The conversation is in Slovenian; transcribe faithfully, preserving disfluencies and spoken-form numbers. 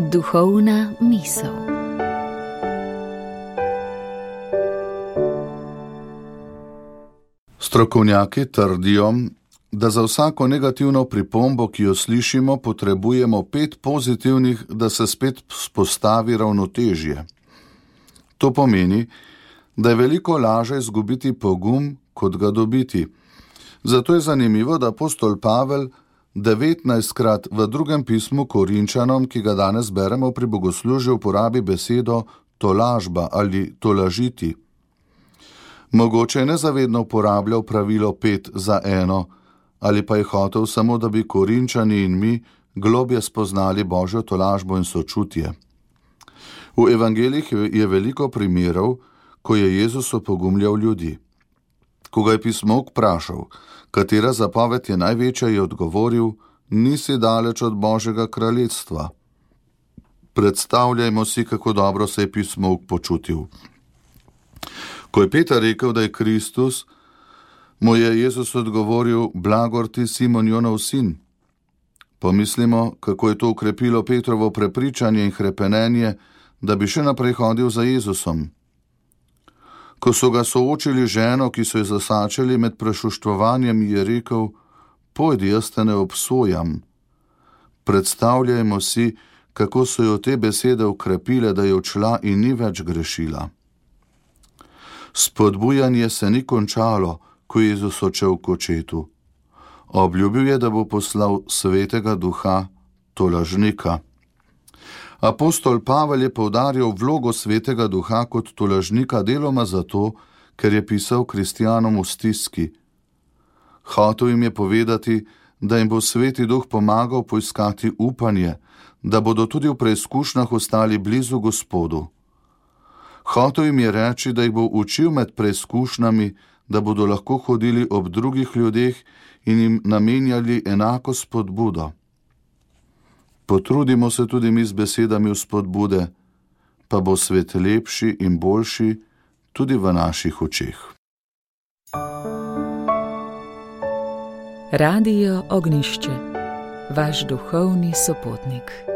Duhovna misel. Strokovnjaki trdijo, da za vsako negativno pripombo, ki jo slišimo, potrebujemo pet pozitivnih, da se spet vzpostavi ravnotežje. To pomeni, da je veliko lažje izgubiti pogum, kot ga dobiti. Zato je zanimivo, da apostol Pavel devetnajstkrat v drugem pismu Korinčanom, ki ga danes beremo pri bogoslužju, uporabi besedo tolažba ali tolažiti. Mogoče je nezavedno uporabljal pravilo pet za eno, ali pa je hotel samo, da bi Korinčani in mi globje spoznali Božjo tolažbo in sočutje. V evangelijih je veliko primerov, ko je Jezus opogumljal ljudi. Ko ga je pismovk vprašal, katera zapoved je največja, je odgovoril: nisi daleč od Božjega kraljestva. Predstavljajmo si, kako dobro se je pismovk počutil. Ko je Peter rekel, da je Kristus, mu je Jezus odgovoril: blagor ti, Simon Jonov sin. Pomislimo, kako je to ukrepilo Petrovo prepričanje in hrepenenje, da bi še naprej hodil za Jezusom. Ko so ga soočili ženo, ki so jo zasačili med prešuštvovanjem, je rekel: pojdi, jaz te ne obsojam. Predstavljajmo si, kako so jo te besede ukrepile, da je odšla in ni več grešila. Spodbujanje se ni končalo, ko je Jezus odšel k očetu. Obljubil je, da bo poslal svetega duha, tolažnika. Apostol Pavel je poudaril vlogo svetega duha kot tolažnika deloma zato, ker je pisal kristjanom v stiski. Hotel jim je povedati, da jim bo sveti duh pomagal poiskati upanje, da bodo tudi v preizkušnjah ostali blizu Gospodu. Hotel jim je reči, da jih bo učil med preizkušnjami, da bodo lahko hodili ob drugih ljudeh in jim namenjali enako spodbudo. Potrudimo se tudi mi z besedami vzpodbude, pa bo svet lepši in boljši tudi v naših očeh. Radio Ognjišče, vaš duhovni sopotnik.